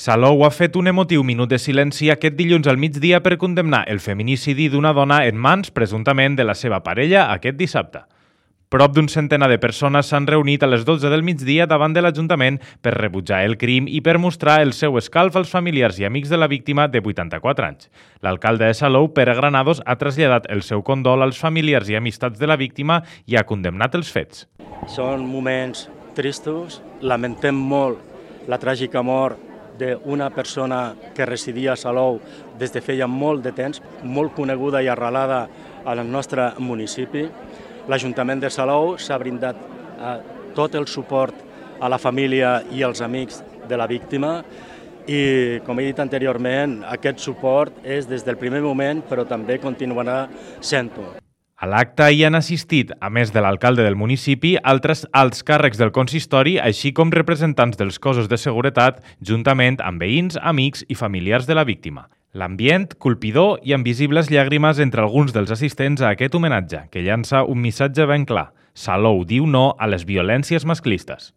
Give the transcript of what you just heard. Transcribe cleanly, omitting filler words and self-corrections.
Salou ha fet un emotiu minut de silenci aquest dilluns al migdia per condemnar el feminicidi d'una dona en mans, presumptament, de la seva parella aquest dissabte. Prop d'un centenar de persones s'han reunit a les 12 del migdia davant de l'Ajuntament per rebutjar el crim i per mostrar el seu escalf als familiars i amics de la víctima de 84 anys. L'alcalde de Salou, Pere Granados, ha traslladat el seu condol als familiars i amistats de la víctima i ha condemnat els fets. Són moments tristos, lamentem molt la tràgica mort d'una persona que residia a Salou des de feia molt de temps, molt coneguda i arrelada al nostre municipi. L'Ajuntament de Salou s'ha brindat tot el suport a la família i als amics de la víctima i, com he dit anteriorment, aquest suport és des del primer moment, però també continuarà sent-ho. A l'acte hi han assistit, a més de l'alcalde del municipi, altres alts càrrecs del consistori, així com representants dels cossos de seguretat, juntament amb veïns, amics i familiars de la víctima. L'ambient, colpidor i amb visibles llàgrimes entre alguns dels assistents a aquest homenatge, que llança un missatge ben clar. Salou diu no a les violències masclistes.